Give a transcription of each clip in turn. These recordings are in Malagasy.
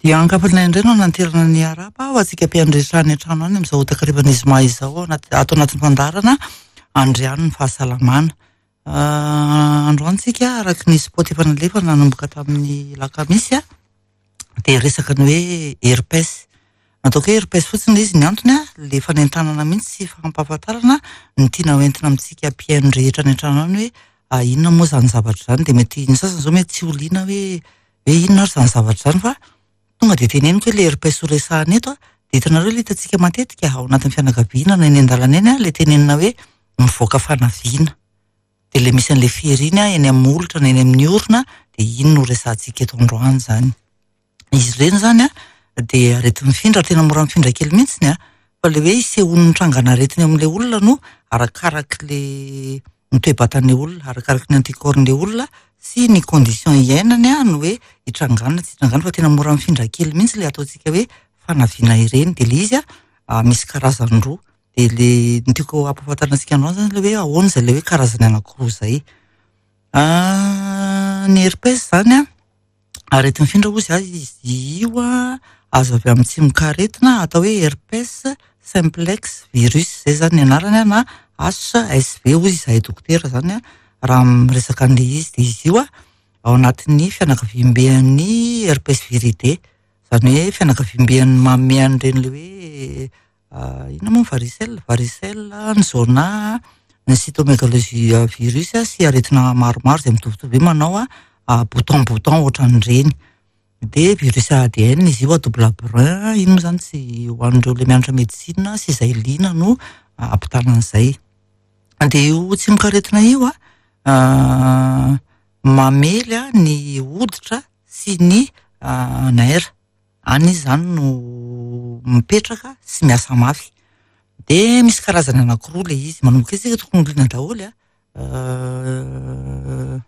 Dia ankafalina indray no nanterana ny araba ho antsika mpiandretra any an-trano any amin'izao takarivan'ny zoma izao ao anaty ato anatin'ny fandaharana Andriano ny fahasalamana. Androany tsika araka ny spot efa nalefa nanomboka tamin'ny lakamisy dia resaka ny hoe herpes. Nataoko hoe herpes fotsiny ilay izy ny antony le fanentanana mihitsy sy fampahafantarana ny tiana hoentina amintsika mpihaino rehetra any an-trano any hoe inona moa izany zavatra izany dia mety ny sasany izao mety tsy ho liana hoe hoe inona ary izany zavatra izany fa tonga dia teneniko hoe le herpes ho resahana eto dia hitanareo ilay hitantsika matetika ao anatin'ny fianakaviana na eny an-dalana eny ilay tenenina hoe mivoaka fanaviana dia ilay misy an'ilay fery iny eny amin'ny molotra na eny amin'ny orona dia iny no resahantsika eto androany izany. Izy ireny izany dia areti-mifindra ary tena mora mifindra kely mihitsy fa ilay hoe isehoan'ny trangan'aretina eo amin'ilay olona no arakarak'ilay ny toe-batan'ilay olona, arakaraky ny anticorps-n'ilay olona sy ny condition iainany no hoe hitrangana na tsy hitrangana fa tena mora mifindra kely mihitsy ilay ataontsika hoe fanaviana ireny dia ilay izy misy karazany roa dia ilay ny tiako hampahafantarina antsika androany izany ilay hoe ahoana izay ilay hoe karazany anankiroa izay. Ny herpes izany areti-mifindra hozy izy io azo avy amin'ny tsimokaretina atao hoe herpes simplex virus izay izany ny anarany na HSV hozy izahay dokotera izany raha miresaka an'ilay izy dia izy io ao anatin'ny fianakaviamben'ny herpes viridae izany hoe fianakaviamben'ny manome an'ireny ilay hoe inona moa ny varicelle? Varicelle, ny zona, ny cytomegalovirus sy aretina maromaro izay mitovitovy hoe manao bouton bouton ohatran'ireny. Dia virus ADN izy io à double brun, iny moa izany tsy ho an'ireo ilay mianatra médecine sy izay liana no ampitana an'izay. Dia io tsimokaretina io mamely ny hoditra sy ny nerf. Any izy izany no mipetraka sy miasa mafy. Dia misy karazany anankiroa ilay izy. Manomboka eo isika tokony ho liana daholo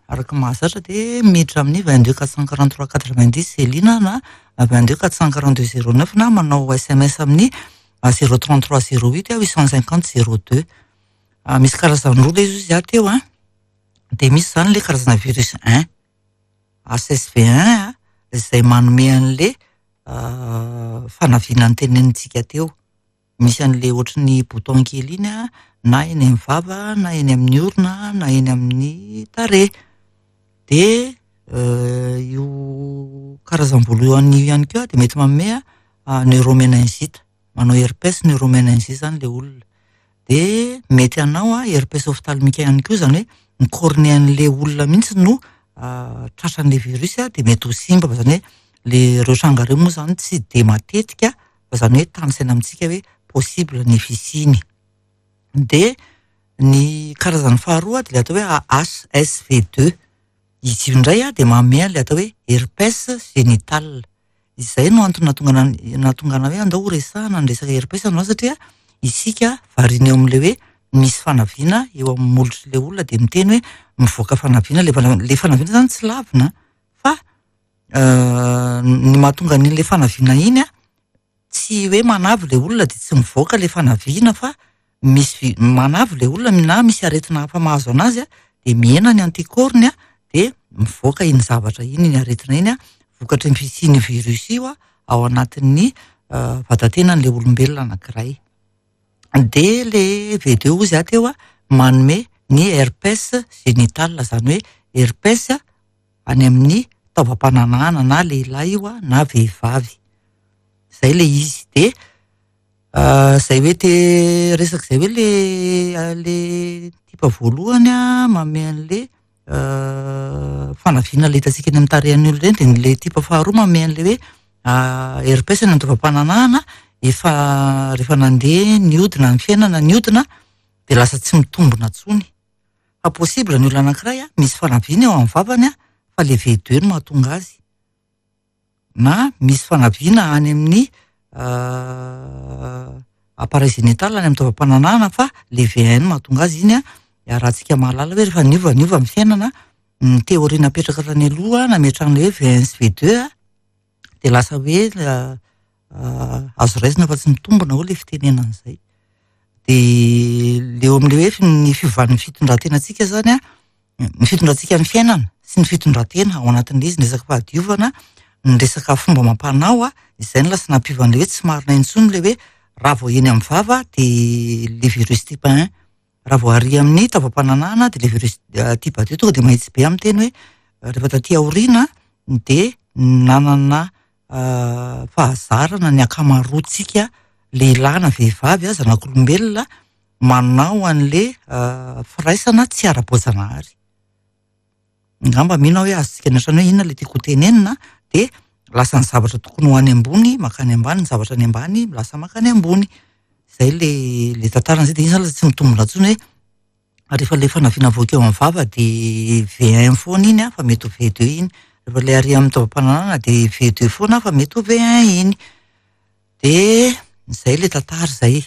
araka ny mahazatra dia miditra amin'ny 22 443 90 izay liana na 22 442 09 na manao SMS amin'ny 033 08 850 02. Misy karazany roa ilay izy hoy izaho teo dia misy izany ilay karazana virus 1. HSV1 izay manome an'le fanaviana notenenintsika teo. Misy an'le ohatry ny bouton kely iny na eny amin'ny vava na eny amin'ny orona na eny amin'ny tarehy. Dia io karazam-bolo io ihany koa dia mety manome neuroméningite. Manao herpes neuroméningite izany ilay olona. Dia mety hanao herpes ophtalmique ihany koa, izany hoe ny cornée-n'ilay olona mihitsy no tratran'ilay virus dia mety ho simba, fa izany hoe le ireo tranga ireo moa izany tsy dia matetika fa izany hoe tanisaina amintsika hoe possible ny fisiany. Dia ny karazany faharoa dia ilay atao hoe HSV2. Izy io indray dia manome an'ilay atao hoe herpes génital. Izay no antony nahatonga nahatonga anah hoe andao ho resahana ny resaka herpes androany satria isika variana eo amin'ilay hoe misy fanaviana eo amin'ny molotr'ilay olona dia miteny hoe mivoaka fanaviana ilay fanaviana. Ilay fanaviana izany tsy lavina fa ny mahatonga an'ilay fanaviana iny tsy hoe manavy ilay olona dia tsy mivoaka ilay fanaviana fa misy manavy ilay olona na misy aretina hafa mahazo anazy dia mihena ny anticorps-ny dia mivoaka iny zavatra iny, iny aretina iny vokatry ny fisian'io virus io ao anatin'ny vatatenan'ilay olombelona anankiray. Dia ilay V2 hozy aho teo manome ny herpes génital, izany hoe herpes any amin'ny taovam-pananahana na lehilahy io na vehivavy. Izay ilay izy. Dia izay hoe te resaka izay hoe le le type voalohany manome an'le fanaviana ilay hitantsika eny amin'ny tarehin'ny olona ireny, dia ilay type faharoa manome an'ilay hoe herpes any amin'ny taovam-pananahana efa rehefa nandeha nihodina ny fiainana nihodina dia lasa tsy mitombina intsony. Fa possible ny olona anankiray misy fanaviana eo amin'ny vavany fa le V2 no mahatonga azy. Na misy fanaviana any amin'ny appareil génital any amin'ny taovam-pananahana fa le V1 no mahatonga azy iny iarahantsika mahalala hoe rehefa niova niova ny fiainana, ny théorie napetraka tany aloha nametrahana hoe V1 sy V2 dia lasa hoe azo raisina fa tsy mitombina hoy ilay fitenenana izay. Dia le eo amin'ilay hoe ny fiovan'ny fitondran-tenantsika izany ny fitondrantsika ny fiainana sy ny fitondran-tena ao anatin'ilay izy, ny resaka fahadiovana, ny resaka fomba amam-panao, izay no lasa nampiova an'ilay hoe tsy marina intsony ilay hoe raha vao eny amin'ny vava dia le virus type 1, raha vao ary amin'ny taovam-pananahana dia le virus type 2. Tonga dia mahitsy be amin'ny teny hoe rehefa taty aoriana dia nanana fahazarana ny ankamaroantsika lehilahy na vehivavy, zanak'olombelona, manao an'le firaisana tsy ara-boajanahary. Angamba mino aho hoe azontsika ny ohatrany hoe inona ilay tiako ho tenenina, dia lasa ny zavatra tokony ho any ambony mankany ambany, ny zavatra any ambany lasa mankany ambony. Izay le le tantarany izay, dia iny izany lasa tsy mitombina intsony hoe rehefa ilay fanaviana avoaka eo amin'ny vava dia V1 foana iny fa mety ho V2 iny, rehefa ilay ary amin'ny taovam-pananahana dia V2 foana fa mety ho V1 iny. Dia izay ilay tantara izay.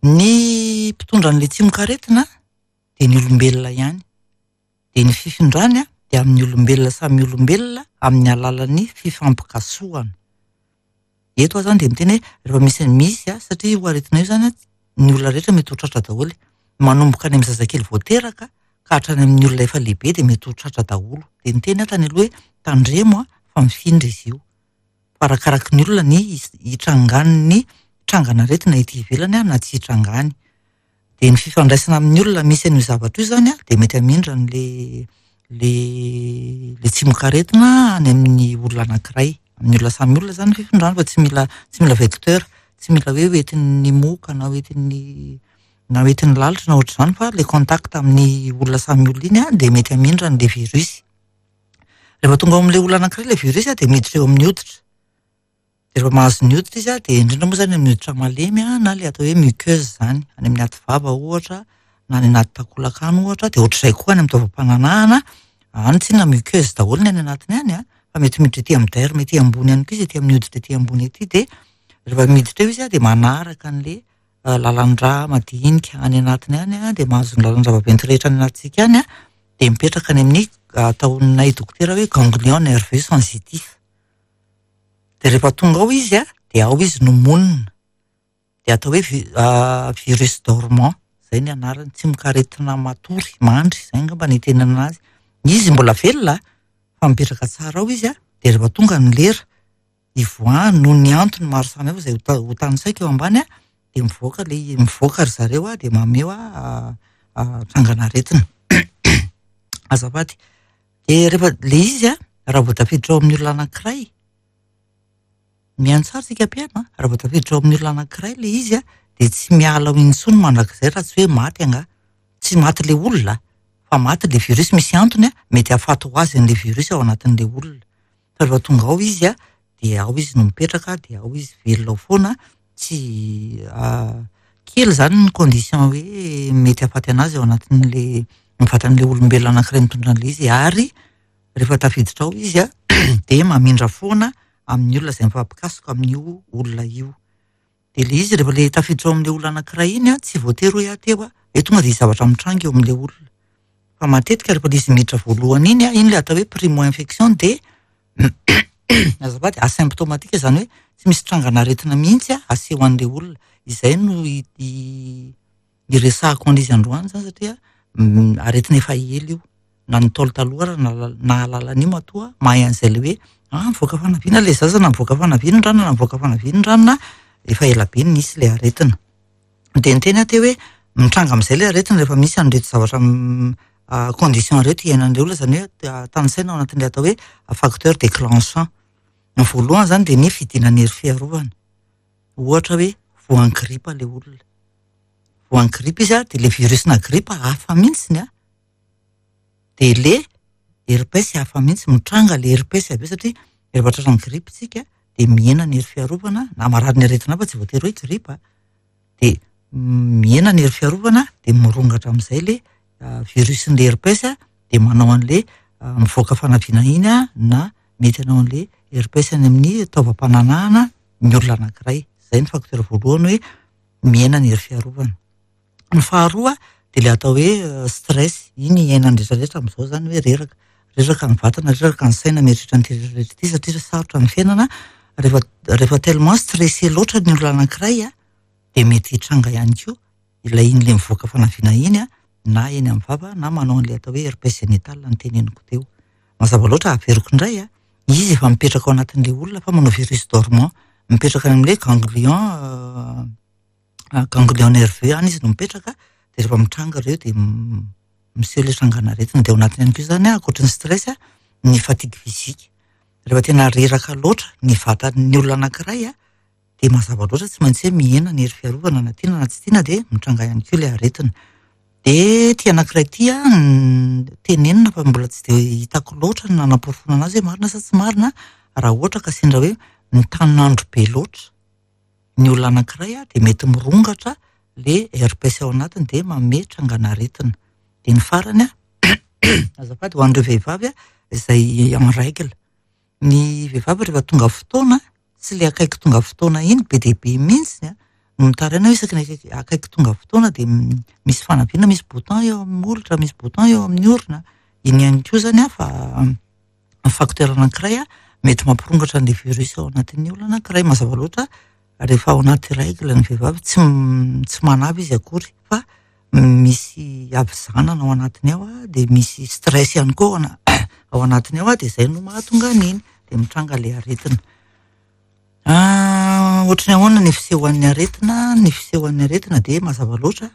Ny mpitondra an'ilay tsimokaretina dia ny olombelona ihany. Dia ny fifindrany dia amin'ny olombelona samy olombelona amin'ny alalan'ny fifampikasohana. Eto aho izany dia miteny hoe rehefa misy misy satria io aretina io izany ny olona rehetra mety ho tratra daholo. Manomboka any amin'ny zazakely vao teraka ka hatrany amin'ny olona efa lehibe dia mety ho tratra daholo. Dia niteny aho tany aloha hoe tandremo fa mifindra izy io. Fa arakaraky ny olona ny hitrangan'ny trangan'aretina ety ivelany na tsy hitrangany. Dia ny fifandraisana amin'ny olona misy an'io zavatra io izany dia mety hamindra an'le le le tsimokaretina any amin'ny olona anankiray. Amin'ny olona samy olona izany ny fifindrany fa tsy mila tsy mila vecteur, tsy mila hoe hoentin'ny moka na hoentin'ny na hoentin'ny lalitra na ohatr'izany fa le contact amin'ny olona samy olona iny dia mety hamindra an'le virus. Rehefa tonga ao amin'ilay olona anankiray ilay virus dia miditra eo amin'ny hoditra. Dia rehefa mahazo ny hoditra izy dia indrindra moa izany amin'ny hoditra malemy na ilay atao hoe muqueuse izany, any amin'ny ati vava ohatra na any anaty takolaka any ohatra, dia ohatr'izay koa any amin'ny taovam-pananahana, any tsinona muqueuse daholo ny any anatiny any fa mety miditra ety amin'ny derme ety ambony ihany koa izy, ety amin'ny hoditra ety ambony ety, dia rehefa miditra eo izy dia manaraka an'ilay lalan-drà madinika any anatiny any, dia mahazo ny lalan-drà vaventy rehetra any anatintsika any, dia mipetraka any amin'ny ataonay dokotera hoe ganglion nerveux sensitif. Dia rehefa tonga ao izy dia ao izy no monina. Dia atao hoe virus dormant, izay ny anarany, tsimokaretina matory, mandry, izay angamba no itenenana azy. Izy mbola velona fa mipetraka tsara ao izy, dia rehefa tonga ny lera hivoahany noho ny antony maro samihafa izay ho tanisaiko eo ambany, dia mivoaka ilay, mivoaka ry zareo dia mameho trangan'aretina. Azafady. Dia rehefa ilay izy raha vao tafiditra ao amin'ny olona anankiray, mihaino tsara isika mpihaino a, raha vao tafiditra ao amin'ny olona anankiray ilay izy dia tsy miala ao intsony mandrakizay raha tsy hoe maty angaha. Tsy maty ilay olona fa maty ilay virus, misy antony mety hahafaty ho azy an'ilay virus ao anatin'ilay olona. Fa rehefa tonga ao izy dia ao izy no mipetraka, dia ao izy velona ao foana, tsy kely izany ny condition hoe mety hahafaty anazy ao anatin'ilay ny vatan'ilay olombelona anankiray mitondra an'ilay izy, ary rehefa tafiditra ao izy dia mamindra foana amin'ny olona izay mifampikasoka amin'io olona io. Dia ilay izy rehefa ilay tafiditra ao amin'ilay olona anankiray iny tsy voatery hoe aho teo hoe tonga dia hisy zavatra mitranga eo amin'ilay olona. Fa matetika rehefa ilay izy miditra voalohany iny, iny ilay atao hoe primo infection dia azafady, asymptomatique, izany hoe tsy misy trangan'aretina mihitsy aseho an'ilay olona. Izay no iresahako an'izy androany izany satria aretina efa ela io. Na ny Ntaolo taloha ary nahalala an'io matoa mahay an'izay ilay hoe mivoaka fanaviana ilay zaza na mivoaka fanaviana ny ranona na mivoaka fanaviana ny ranona, efa ela be no nisy ilay aretina. Dia niteny aho teo hoe mitranga amin'izay ilay aretina rehefa misy an'ireto zavatra condition ireto iainan'ilay olona, izany hoe tanisaina ao anatin'ilay atao hoe facteur déclenchant. Ny voalohany izany dia ny fidinan'ny hery fiarovana. Ohatra hoe voan'ny gripa ilay olona. Voan'ny gripa izy dia ilay virus-na gripa hafa mihitsy ny dia le herpes hafa mihitsy, mitranga le herpes avy eo satria rehefa tratran'ny gripa isika dia mihena ny hery fiarovana, na marary ny aretina hafa tsy voatery hoe gripa, dia mihena ny hery fiarovana dia mirongatra amin'izay le virus-n'le herpes dia manao an'le mivoaka fanaviana iny na mety hanao an'le herpes any amin'ny taovam-pananahana ny olona anankiray. Izay ny facteur voalohany hoe mihena ny hery fiarovana. Ny faharoa dia ilay atao hoe stress, iny iainan'ny rehetra rehetra amin'izao izany hoe reraka. Reraka ny vatana, reraka ny saina mieritreritra an'ity rehetra rehetra ity satria sarotra ny fiainana. Rehefa, rehefa tellement stressé loatra ny olona anankiray dia mety hitranga ihany koa ilay iny ilay mivoaka fanaviana iny na eny amin'ny vava na manao an'ilay atao hoe herpès génital noteneniko teo. Mazava loatra, averiko indray. Izy efa mipetraka ao anatin'ilay olona fa manao virus dormant. Mipetraka any amin'ilay ganglion ganglion nerveux any izy no mipetraka dia rehefa mitranga ireo dia miseho ilay trangan'aretina. Dia ao anatiny ihany koa izany ankoatry ny stress ny fatigue physique. Rehefa tena reraka loatra ny vatan'ny olona anankiray dia mazava loatra tsy maintsy hoe mihena ny hery fiarovana na tiana na tsy tiana dia mitranga ihany koa ilay aretina. Dia ity anankiray ity tenenina fa mbola tsy dia hitako loatra ny nanaporofoana anazy hoe marina sa tsy marina raha ohatra ka sendra hoe mitanin'andro be loatra ny olona anankiray dia mety mirongatra le herpès ao anatiny dia manome trangan'aretina. Dia ny farany azafady ho an'ireo vehivavy izay en règle. Ny vehivavy rehefa tonga fotoana, tsy ilay akaiky tonga fotoana iny be dia be mihitsy no mitaraina hoe isaky ny akaiky tonga fotoana dia misy fanaviana, misy bouton eo amin'ny molotra, misy bouton eo amin'ny orona. Iny ihany koa izany fa facteur anankiray mety mampirongatra an'ilay virus ao anatin'ny olona anankiray. Mazava loatra rehefa ao anaty règle ny vehivavy tsy manavy izy akory fa misy havizanana ao anatiny ao dia misy stress ihany koa ao anatiny ao dia izay no mahatonga an'iny dia mitranga ilay aretina. Ohatry ny ahoana ny fisehoan'ny aretina? Ny fisehoan'ny aretina dia mazava loatra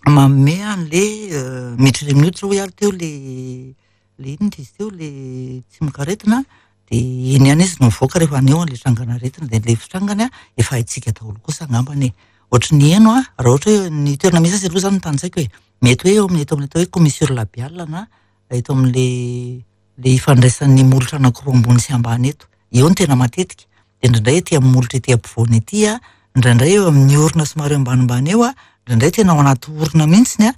manome an'ilay miditra eny amin'ny hoditra hoy aho teo ilay ilay inona izy teo ilay tsimokaretina dia iny ihany izy no mivoaka rehefa haneho an'ilay trangan'aretina dia ilay fitrangany efa haintsika daholo kosa angambany e. Ohatry ny heno raha ohatra hoe ny toerana misy azy aloha izany no tany-tsaiko e. Mety hoe eo amin'ny eto amin'ny atao hoe commissure labiale na eto amin'ilay ilay ifandraisan'ny molotra anankiroa ambony sy ambany eto. Eo no tena matetika. Dia indraindray ety amin'ny molotra ety ampovoany ety indraindray eo amin'ny orona somary ambanimbany eo indraindray tena ao anaty orona mihitsiny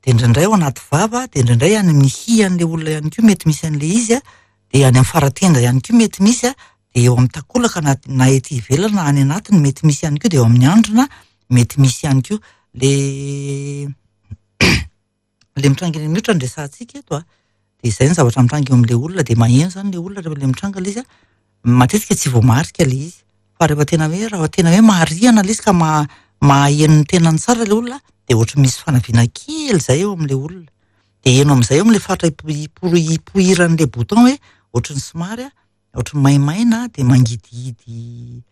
dia indraindray ao anaty vava, dia indraindray any amin'ny hihy an'ilay olona ihany koa mety misy an'ilay izy dia any amin'ny faratenda ihany koa mety misy dia eo amin'ny takolaka na ety ivelany na any anatiny mety misy ihany koa, dia eo amin'ny andrina mety misy ihany koa. Le le mitranga eny amin'ny hoditra no resahantsika eto dia izay ny zavatra mitranga eo amin'ilay olona, dia maheno izany ilay olona rehefa ilay mitranga ilay izy matetika tsy voamarika ilay izy fa rehefa tena hoe raha tena hoe marihana ilay izy ka maheno ny tenany tsara ilay olona dia ohatry misy fanaviana kely izay eo amin'ilay olona dia heno amin'izay eo amin'ilay faritra ipoiran'ilay bouton hoe ohatry ny somary ohatry ny maimaina dia mangidihidy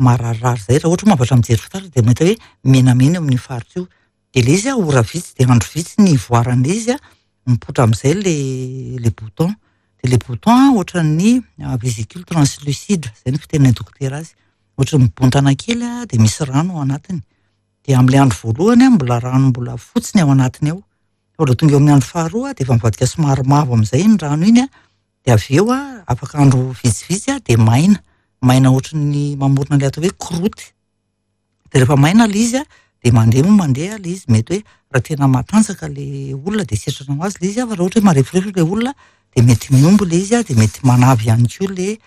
mararirary izay raha ohatra moa mijery fitaratra dia mahita hoe menamena eo amin'io faritra io dia ilay izy ora vitsy dia andro vitsy ny ivoaran'ilay izy mipoitra amin'izay le bouton dia le bouton ohatran'ny vésicule translucide izay ny fitenin'ny dokotera azy ohatry ny mibontana kely dia misy rano ao anatiny dia amin'ilay andro voalohany mbola rano mbola fotsy ny ao anatiny ao fa raha tonga eo amin'ny andro faharoa dia efa mivadika somary mavo amin'izay iny rano iny dia avy eo afaka andro vitsivitsy dia maina maina ohatry ny mamorona ilay atao hoe croûte dia rehefa maina ilay izy dia mandeha moa mandeha ilay izy mety hoe raha tena matanjaka ilay olona dia sitrana ho azy ilay izy fa raha ohatra hoe mareforefo ilay olona dia mety mihombo ilay izy dia mety manavy ihany koa ilay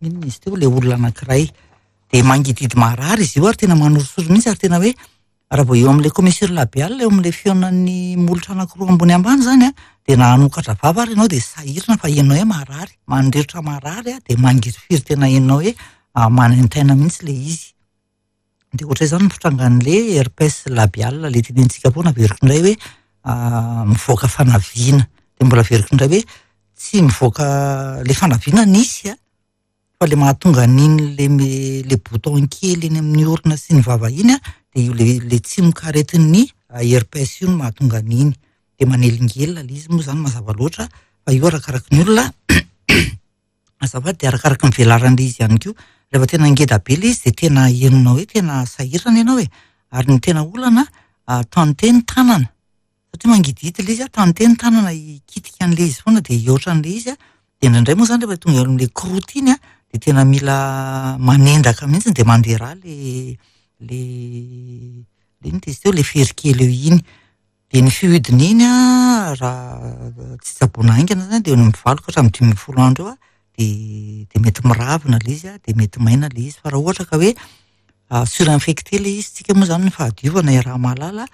inona izy teo ilay olona anankiray dia mangidihidy marary izy io ary tena manorisory mihitsy ary tena hoe raha vao eo amin'ilay commissure labiale eo amin'ilay fihaonan'ny molotra anankiroa ambony ambany izany dia na hanokatra vava ary ianao dia sahirana fa henonao hoe marary, mandrirotra marary dia mangirifiry tena henonao hoe manaintaina mihitsy ilay izy. Dia ohatra izany ny fitrangan'ilay herpès labiale ilay tenenintsika foana averiko indray hoe mivoaka fanaviana. Dia mbola averiko indray hoe tsy mivoaka ilay fanaviana nisy fa ilay mahatonga an'iny le le bouton kely eny amin'ny orona sy ny vava iny dia io le tsimokaretin'ny herpès io no mahatonga an'iny. Dia manelingelina ilay izy moa izany mazava loatra fa io arakaraky ny olona azafady dia arakaraky ny velaran'ilay izy ihany koa. Rehefa tena ngeda be ilay izy dia tena henonao hoe tena sahirana ianao e. Ary ny tena olana tante ny tanana satria mangidihidy ilay izy tante ny tanana hikitika an'ilay izy foana dia hihoatra an'ilay izy dia indraindray moa izany rehefa tonga eo amin'ilay croûte iny dia tena mila manendaka mihitsy dia mandeha rà le le le inona izy teo le fery kely eo iny. Dia ny fihodiny iny raha tsy tsaboina haingana izany dia eo amin'ny 8 ka hatramin'ny 15 andro eo dia dia mety miravina ilay izy dia mety maina ilay izy fa raha ohatra ka hoe surinfecté ilay izy tsika moa izany ny fahadiovana iaraha-mahalala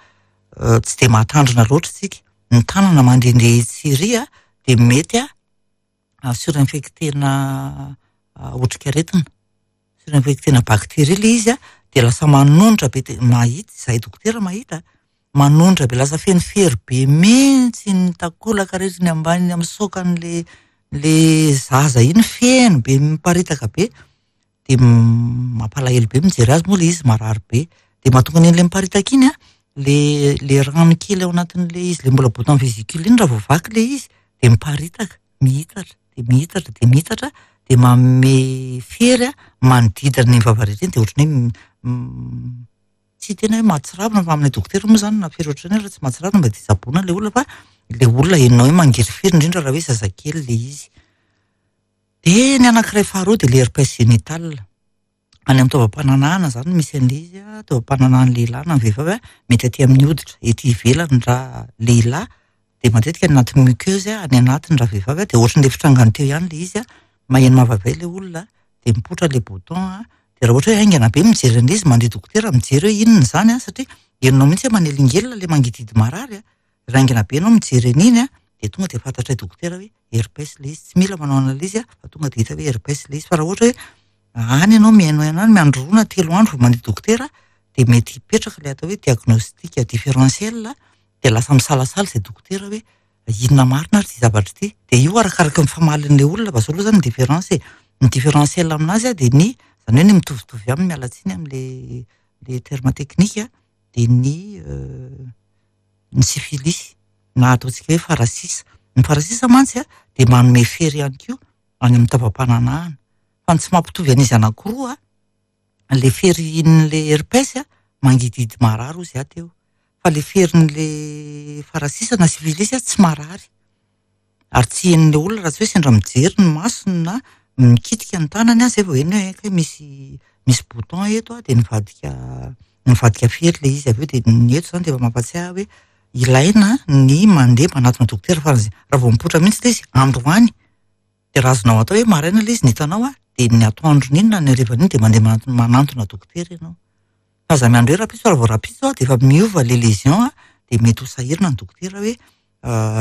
tsy dia mahatandrina loatra isika ny tanana mandehandeha etsy sy ery dia mety surinfecté-na otrikaretina surinfecté-na bactérie ilay izy dia lasa manonitra be dia mahita izahay dokotera mahita manonitra be lasa feno fery be mihitsy ny takolaka rehetra ny ambany misoka an'ilay le zaza iny feno be miparitaka be de mampalahelo be mijery azy moa le izy marary be. De mahatonga an'iny le miparitaka iny a, le rano kely ao anatin'le izy le mbola bouton vésicule iny raha vao vaky le izy de miparitaka, mihitatra, de mihitatra, de mihitatra, de manome fery a manodidina ny vava rehetra iny de ohatran'ny hoe tsy tena hoe mahatsiravina fa aminay dokotera moa zany na fery ohatran'izany raha tsy mahatsiravina mba de tsaboina le olona fa le olona henonao hoe mangirifiry indrindra raha hoe zazakely le izy. De ny anankiray faharoa de le herpès génital. Any amin'ny taovam-pananahana zany misy an'le izy a, taovam-pananahan'ny lehilahy na ny vehivavy a, mety aty amin'ny hoditra, ety ivelany raha lehilahy, de matetika any anaty muqueuse a, any anatiny raha vehivavy a, de ohatran'le fitrangany teo ihany le izy a, maheno mavavay le olona, de mipoitra le bouton a, de raha ohatra hoe haingana be mijery an'le izy, mandeha dokotera mijery hoe inona izany a, satria henonao mihitsy hoe manelingelina le mangidihidy marary a, raha haingana be ianao mijery an'iny a, de tonga de fantatray dokotera hoe herpès le izy, tsy mila manao analyse a, fa tonga de hita hoe herpès le izy, fa raha ohatra hoe any ianao mihaino any miandry 2 na 3 andro vao mandeha dokotera, de mety hipetraka le atao hoe diagnostic différentiel, de lasa misalasala izay dokotera hoe inona marina ary ity zavatra ity. De io arakaraka ny famalin'ilay olona, fa zao aloha zany ny différence e. Ny différentiel aminazy a, de ny, zany hoe ny mitovitovy aminy, miala tsiny amin'le le terme technique, de ny syphilis na ataontsika hoe farasisa. Ny farasisa mantsy a, de manome fery ihany koa any amin'ny taovam-pananahana. Fa ny tsy mampitovy an'izy anankiroa a, le ferin'le herpès a, mangidihidy marary hozy aho teo. Fa le ferin'le farasisa na syphilis a, tsy marary. Ary tsy henon'le olona raha tsy hoe sendra mijery ny masony na mikitika ny tanany a, zay vao heno hoe hay misy bouton eto a, de nivadika fery le izy avy eo, de ny eto zany de efa mampatsiahy hoe ilaina ny mandeha manatona dokotera, fa raha vao mipoitra mihitsy le izy androany, de raha azonao atao hoe maraina le izy ny hitanao a, de ny atoandron'iny na ny harivan'iny de mandeha manantona dokotera ianao. Fa aza miandry hoe rahampitso, raha vao rahampitso a, de efa miova le lésion a, de mety ho sahirana ny dokotera hoe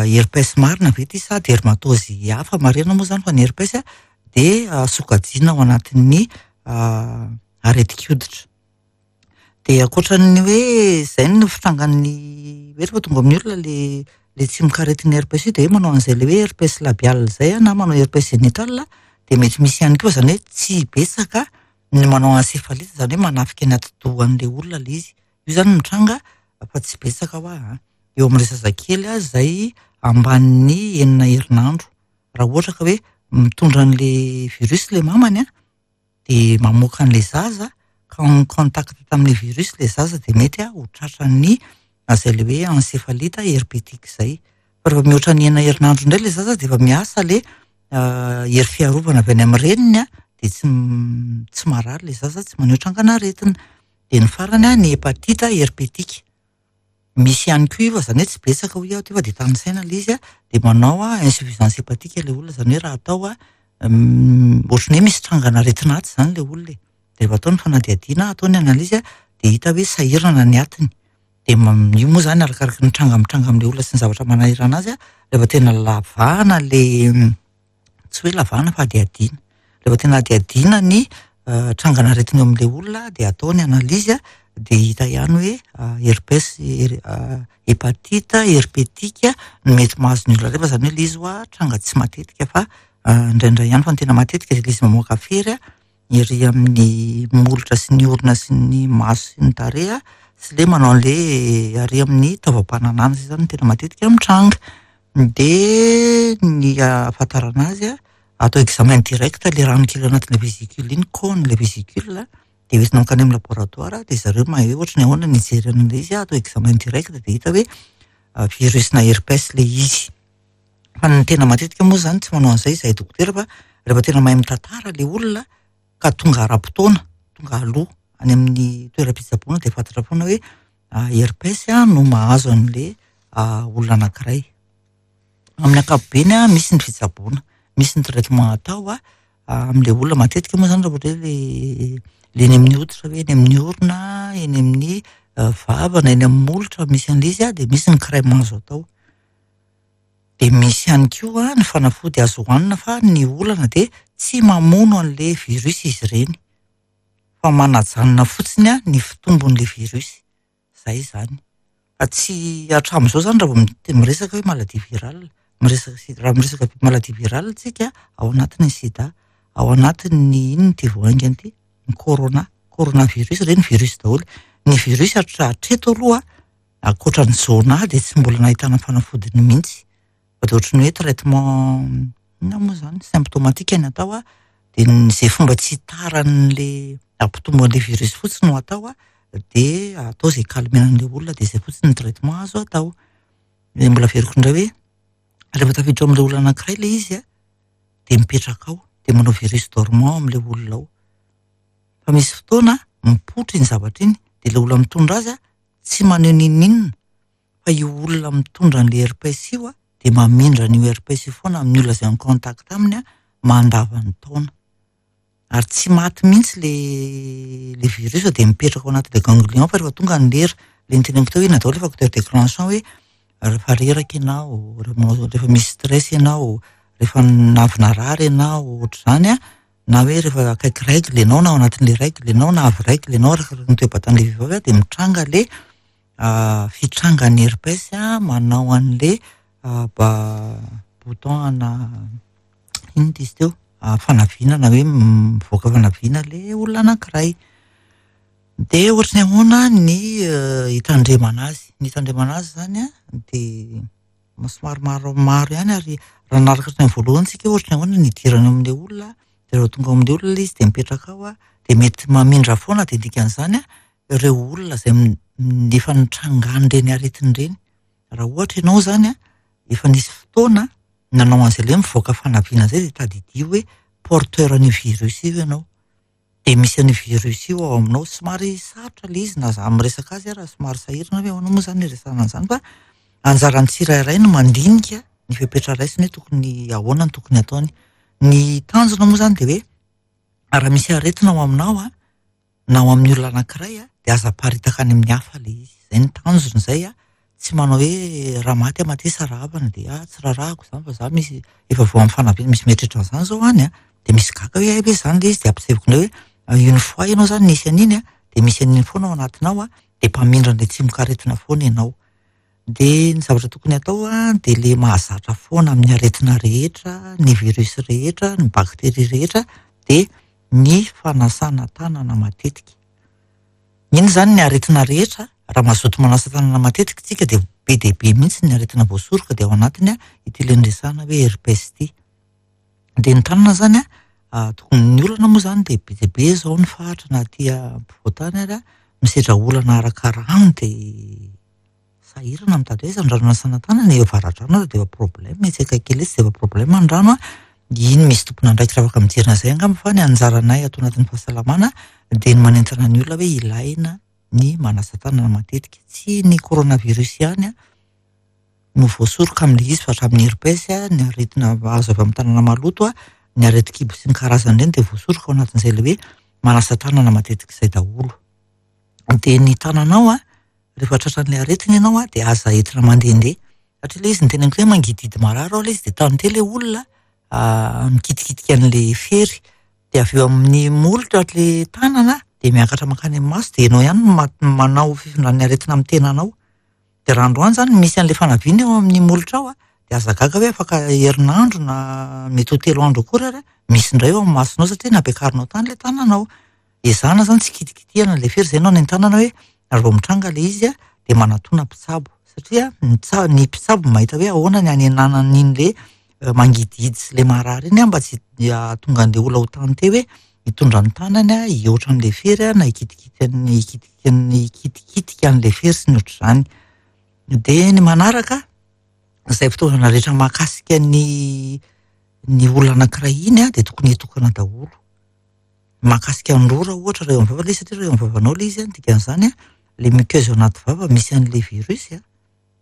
herpès marina ve ity sa dermatose hafa. Marina moa zany fa ny herpès a, de sokajiana ao anatin'ny aretin-koditra. De ankoatran'ny hoe zay no fitrangan'ny hoe rehefa tonga amin'ny olona le tsimokaretin'ny herpès io, de hoe manao an'izay le hoe herpès labial zay a, na manao herpès génital, de mety misy ihany koa, zany hoe tsy betsaka ny manao encéphalite, zany hoe manafika ny atidohan'le olona le izy. Io zany mitranga fa tsy betsaka ho ahy a. Eo amin'ilay zazakely a, zay ambanin'ny 6 herinandro. Raha ohatra ka hoe mitondra an'le virus le mamany a, de mamoaka an'le zaza, ka en contact tamin'le virus le zaza, de mety a ho tratran'ny izay le hoe encéphalite herpétique zay. Fa rehefa mihoatra ny 6 herinandro indray le zaza, de efa miasa le hery fiarovana avy any amin'ny reniny a, de tsy marary le zaza, tsy maneho trangan'aretina. De ny farany a, ny hépatite herpétique. Misy ihany koa io, fa zany hoe tsy betsaka hoy aho teo, fa de tanisaina le izy a, de manao a insuffisance hépatique le olona, zany hoe raha atao a, ohatran'ny hoe misy trangan'aretina aty zany le olona e. De rehefa atao ny fanadihadiana, atao ny analyse a, de hita hoe sahirana ny atiny. De io moa zany arakaraky ny tranga mitranga amin'le olona sy ny zavatra manahirana azy a, rehefa tena lavahana le, tsy hoe lavahana fa hadihadiana. Rehefa tena hadihadiana ny trangan'aretina eo amin'le olona, de atao ny analyse a, de hita ihany hoe herpès, hépatite herpétique no mety mahazo ny olona rehefa, zany hoe le izy hoa tranga tsy matetika fa indraindray ihany, fa ny tena matetika de le izy mamoaka fery a, ery amin'ny molotra sy ny orona sy ny maso sy ny tarehy a, sy le manao an'le ary amin'ny taovam-pananahana, zay zany no tena matetika mitranga. De ny ahafantarana azy a, atao examen direct le rano kely anatin'le vésicule iny, cône le vésicule, de hoentina mankany amin'ny laboratoire, de zareo mahay hoe ohatran'ny ahoana ny hijery an'ilay izy, atao examen direct de hita hoe virus na herpès le izy. Fa ny tena matetika moa zany tsy manao an'izay izahay dokotera, fa rehefa tena mahay mitantara le olona ka tonga ara-potoana, tonga aloha any amin'ny toeram-pitsaboana, de fantatra foana hoe herpès no mahazo an'le olona anankiray. Amin'ny ankapobeny a, misy ny fitsaboana, misy ny traitement atao a, amin'le olona. Matetika moa zany raha ohatra hoe le eny amin'ny hoditra, hoe eny amin'ny orona, eny amin'ny vava na eny amin'ny molotra misy an'ilay izy a, de misy ny crème azo atao. De misy ihany koa ny fanafody azo hohanina, fa ny olana de tsy mamono an'le virus izy ireny, fa manajanona fotsiny a ny fitombon'le virus. Zay zany. Fa tsy hatramin'izao zany raha vao miresaka hoe maladie virale. Miresaka sida, raha miresaka maladie virale tsika, ao anatin'ny sida, ao anatin'ny inona ity vao haingana ity? Ny corona, coronavirus, ireny virus daholo. Ny virus hatreto aloha, ankoatra ny zona dia tsy mbola nahitana fanafodiny mihitsy. Fa dia ohatran'ny hoe traitement inona moa izany, symptomatique ny atao a, dia izay fomba tsy hitaran'le hampitombo an'le virus fotsiny no atao a, dia atao izay calmer an'le olona, dia izay fotsiny ny traitement azo atao. Dia mbola averiko indray hoe rehefa tafiditra ao amin'ilay olona anankiray ilay izy a, dia mipetraka ao, dia manao virus dormant ao amin'ilay olona ao. Fa misy fotoana mipoitra iny zavatra iny, dia ilay olona mitondra azy a, tsy maneho n'inon'inona, fa io olona mitondra an'ilay herpès io a, dia mamindra an'io herpès io foana amin'ny olona izay en contact aminy a, mandavan'ny taona. Ary tsy maty mihitsy le le virus fa dia mipetraka ao anatin'ilay ganglion fa rehefa tonga ny lera, le niteneniko teo hoe inona daholo le facteur déclenchant hoe rehefa reraka ianao, rehefa misy stress ianao, rehefa avy narary ianao, ohatr'izany a, na hoe rehefa akaiky règle ianao na ao anatin'ilay règle ianao na avy règle ianao arakaraka ny toe-batan'ilay vehivavy a, dia mitranga le fitrangan'ny herpès manao an'le bouton ana inona izy teo fanaviana na hoe mivoaka fanaviana le olona anankiray. Dia ohatry ny ahoana ny hitandremana azy? Ny hitandremana azy izany a dia somary maromaro ihany ary raha nanaraka hatrany voalohany tsika ohatry ny ahoana ny hidirany ao amin'ilay olona, dia rehefa tonga ao amin'ilay olona izy dia mipetraka ao a, dia mety mamindra foana dia dikan'izany a ireo olona izay efa nitrangan'ireny aretina ireny. Raha ohatra ianao izany a, efa nisy fotoana nanao an'izay ilay mivoaka fanaviana izay dia tadidio hoe porteur an'io virus io ianao. Dia misy an'io virus io ao aminao. Somary sarotra ilay izy na za miresaka azy ara somary sahirana hoe ahoana moa izany iresahana an'izany fa anjaran'ny tsirairay no mandinika ny fepetra raisiny hoe tokony ahoana no tokony ataony. Ny tanjona moa izany dia hoe raha misy aretina ao aminao a, na ao amin'ny olona anankiray a, dia aza aparitaka any amin'ny hafa ilay izy. Izay ny tanjona izay a, tsy manao hoe raha maty aho matesa raha havana dia ah, tsy raharahako izany fa za misy efa voa amin'ny fanampiana, misy mieritreritra an'izany izao any a, dia misy gaga hoe hay ve izany ilay izy, dia ampisehoako indray hoe une fois ianao izany nisy an'iny a, dia misy an'iny foana ao anatinao a, dia mpamindra an'ilay tsimokaretina foana ianao. Dia ny zavatra tokony atao a, dia ilay mahazatra foana amin'ny aretina rehetra, ny virus rehetra, ny bakteria rehetra, dia ny fanasana tanana matetika. Iny izany ny aretina rehetra, raha mazoto manasa tanana matetika isika dia be dia be mihitsy ny aretina voasoroka dia ao anatiny ity ilay niresahana hoe herpès ity. Dia ny tanana izany a, tokony ny olana moa izany dia be dia be izao ny faritra na aty ampovoantany ary a, misedra olana araka rano dia sahirana mitady hoe aiza ny rano hanasana tanana, eo avaradrano aza dia efa problème, etsy akaiky kely etsy dia efa problème ny rano a, iny misy tompon'andraikitra afaka mijery an'izay angamba fa ny anjaranay ato anatin'ny fahasalamana dia ny manentana ny olona hoe ilaina ny manasa tanana matetika. Tsy ny coronavirus ihany a no voasoroka amin'ilay izy fa hatramin'ny herpès, ny aretina azo avy amin'ny tanana maloto a, ny aretin-kibo sy ny karazany ireny dia voasoroka ao anatin'izay ilay hoe manasa tanana matetika izay daholo. Dia ny tananao a, rehefa tratran'ilay aretina ianao a, dia aza entina mandehandeha satria ilay izy niteneniko hoe mangidihidy marary ao ilay izy dia tante ilay olona mikitikitika an'ilay fery dia avy eo amin'ny molotra ilay tanana dia miakatra mankany amin'ny maso dia ianao ihany no manao fifindran'ny aretina amin'ny tenanao. Dia raha androany izany misy an'ilay fanaviana eo amin'ny molotra ao a, dia aza gaga hoe afaka herinandro na mety ho 3 andro akory ary misy indray eo amin'ny masonao satria nampiakarinao tany ilay tananao. Ezahana izany tsy kitikitihana ilay fery, izay no anentanana hoe raha vao mitranga ilay izy a, dia manatona mpitsabo satria ny mpitsabo mahita hoe ahoana ny hanenana an'iny le mangidihidy sy ilay marary iny a, mba tsy hahatonga an'ilay olona ho tante hoe hitondra ny tanany a, hihoatra an'ilay fery a, na hikitikitika an'ilay fery sy ny ohatr'izany. Dia ny manaraka, izay fitaovana rehetra mahakasika ny ny olona anankiray iny a, dia tokony hitokana daholo. Mahakasika ny rora ohatra raha eo amin'ny vava ilay izy satria raha eo amin'ny vavanao ilay izy a, ny dikan'izany a, ilay muqueuse ao anaty vava misy an'ilay virus a,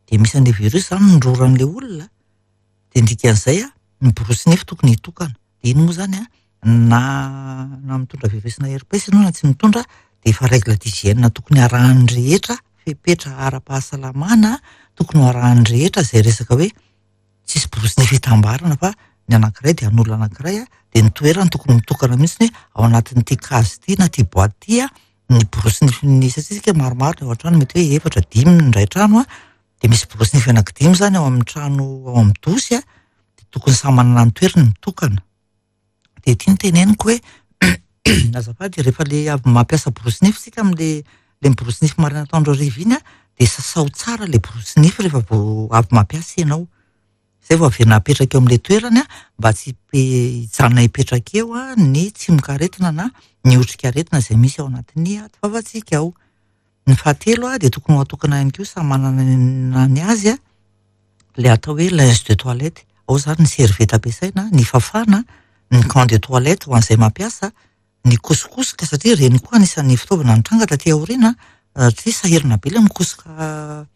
dia misy an'ilay virus izany ny roran'ilay olona, dia ny dikan'izay a, ny borosy nify tokony hitokana. Dia iny moa izany a, na mitondra virus na herpès ianao na tsy mitondra, dia efa règle d'hygiène tokony harahan'ny rehetra, fepetra ara-pahasalamana tokony ho arahan'ny rehetra izay resaka hoe tsisy borosy nify hitambarana fa ny anankiray dia an'olona anankiray a, dia ny toerany tokony mitokana mihitsy hoe ao anatin'ity case ity na ity boîte ity a, ny borosy nify ny satria isika maromaro ny ao an-trano, mety hoe 4, 5 ny iray trano a, Dia misy borosy nify anankidimy izany ao amin'ny trano ao amin'ny dosy a, dia tokony samy manana ny toerany mitokana. Dia ity no teneniko hoe azafady rehefa le avy mampiasa borosy nify isika amin'le le miborosy nify maraina atoandro hariva iny a, dia sasao tsara le borosy nify rehefa vao avy mampiasa ianao. Izay vao averina apetraka eo amin'ilay toerany mba tsy hijanona hipetraka eo ny tsimokaretina na ny otrikaretina izay misy ao anatin'ny ati-vavantsika ao. Ny fahatelo dia tokony ho atokana ihany koa samy manana ny azy ilay atao hoe linge de toilette. Ao izany ny serviette ampiasaina, ny fafana, ny gant de toilette ho an'izay mampiasa, ny kosokosoka satria ireny koa anisan'ny fitaovana nitranga taty aoriana satria sahirana be ilay mikosoka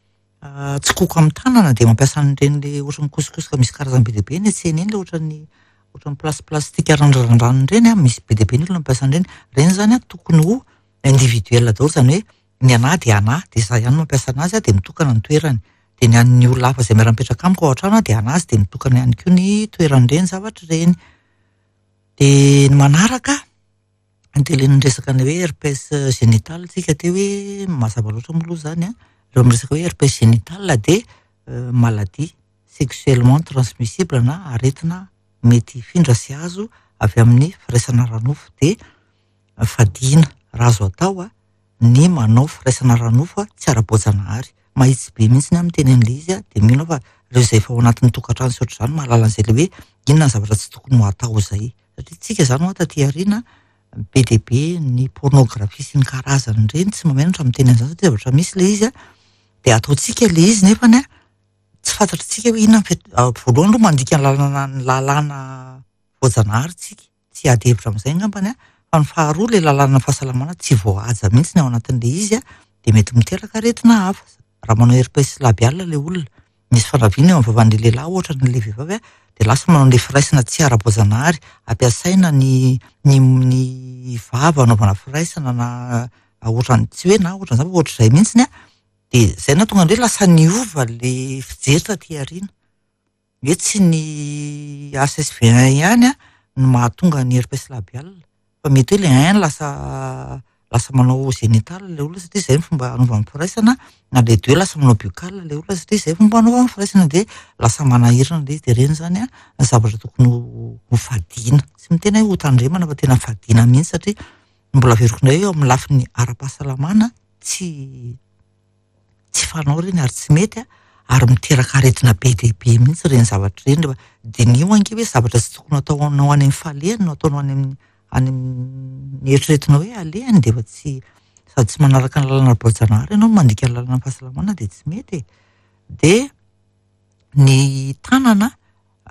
tsikoko amin'ny tanana dia mampiasa an'ireny le ohatran'ny mikosokosoka misy karazany be dia be eny an-tsena eny le ohatran'ny ohatran'ny plasiplastika randrandrana ireny an, misy be dia be ny olona mampiasa an'ireny. Ireny izany an tokony ho individuel daholo izany hoe ny anà dia anà dia izaho ihany no mampiasa an'azy dia mitokana ny toerany. Dia ny an'ny olona hafa izay miara-mipetraka amiko ao an-trano dia an'azy dia mitokana ihany koa ny toeran'ireny zavatra ireny. Dia ny manaraka dia ilay niresaka ny hoe herpès génital tsika teo hoe mazava loatra moa aloha izany an, rehefa miresaka hoe herpès génital dia maladie sexuellement transmissible na aretina mety hifindra sy azo avy amin'ny firaisana ara-nofo dia fadiana raha azo atao ny manao firaisana ara-nofo tsy ara-boajanahary. Mahitsy be mihitsy aho miteny an'ilay izy dia mino aho fa ireo izay efa ao anatin'ny tokantrano sy ohatr'izany mahalala an'izay ilay hoe inona ny zavatra tsy tokony ho atao izay. Satria tsika izany hoa taty aoriana be dia be ny pornographie sy ny karazany ireny, tsy mahamenatra miteny an'izany satria zavatra misy ilay izy dia ataontsika ilay izy nefany tsy fantatritsika hoe inona ny fet-, voalohany aloha mandika ny lalana ny lalàna voajanahary tsika. tsy hiady hevitra amin'izay angambany an, fa ny faharoa ilay lalànan'ny fahasalamana tsy voahaja mihitsy ny ao anatin'ilay izy an, dia mety miteraka aretina hafa. Raha manao herpès labial ilay olona, misy fanaviana eo amin'ny vavan'ilay lehilahy ohatra na ilay vehivavy an, dia lasa manao an'ilay firaisana tsy ara-boajanahary, ampiasaina ny ny ny vava anaovana firaisana na ohatran'ny tsy hoe na ohatran'izany fa ohatr'izay mihitsy an, dia izay no nahatonga ny hoe lasa niova ilay fijery taty aoriana. Hoe tsy ny HSV1 ihany no mahatonga ny herpès labial fa mety hoe ilay 1 lasa lasa manao génital ilay olona satria izay ny fomba anaovany firaisana na ilay 2 lasa manao buccal ilay olona satria izay fomba anaovany firaisana dia lasa manahirana ilay izy dia ireny izany ny zavatra tokony ho fadiana. Tsy miteny hoe ho tandremana fa tena fadiana mihitsy satria mbola averiko indray eo amin'ny lafiny ara-pahasalamana tsy tsy fanao ireny ary tsy mety a, ary miteraka aretina be dia be mihitsy ireny zavatra ireny rehefa diniho ange hoe zavatra tsy tokony ataonao any amin'ny falehany no ataonao any amin'ny any amin'ny eritreretinao hoe alehany dia efa tsy sady tsy manaraka ny lalana voajanahary ianao no mandika ny lalana fahasalamana dia tsy mety e. Dia ny tanana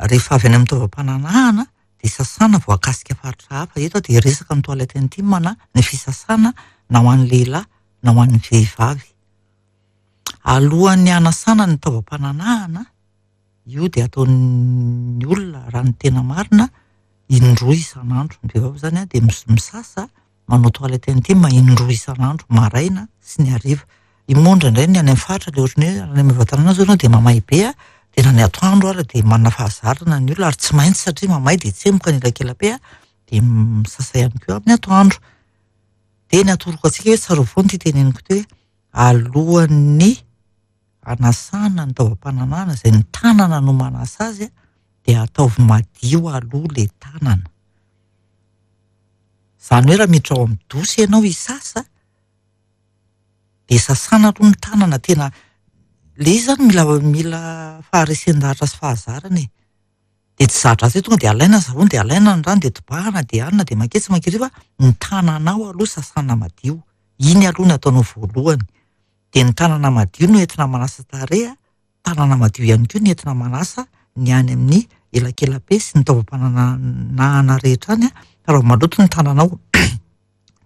rehefa avy any amin'ny taovam-pananahana dia sasana voakasika faritra hafa. Eto aho dia hiresaka ny toilette intime na ny fisasana na ho an'ny lehilahy na ho an'ny vehivavy. Alohan'ny hanasana ny taovam-pananahana, io dia ataon'ny olona raha ny tena marina indroa isan'andro. Ny vehivavy izany dia misasa manao toilette intime indroa isan'andro, maraina sy ny hariva. Io moa indraindray ny any amin'ny faritra ilay ohatran'ny hoe any Maevatanàna izao ianao dia mamay be dia na ny atoandro ary dia manana fahazarana ny olona ary tsy maintsy satria mamay dia tsemboka ny elakela-pe dia misasa ihany koa amin'ny atoandro. Dia ny atoroko antsika hoe tsarovy foana ity teneniko ity hoe alohan'ny hanasana ny taovam-pananahana izay ny tanana no manasa azy dia ataovy madio aloha ilay tanana. Izany hoe raha miditra ao amin'ny dosy ianao hisasa dia sasana aloha ny tanana tena ilay izy izany mila mila faharesen-dahatra sy fahazarana e. Dia tsy za-dratsy hoe tonga dia alaina ny savony dia alaina ny rano dia tobahana dia anona dia manketsy mankery fa ny tananao aloha sasana madio. Iny aloha no ataonao voalohany. Dia ny tanana madio no entina manasa tarehy, tanana madio ihany koa no entina manasa ny any amin'ny elakela-pe sy ny taovam-pananahana rehetra any fa raha vao maloto ny tananao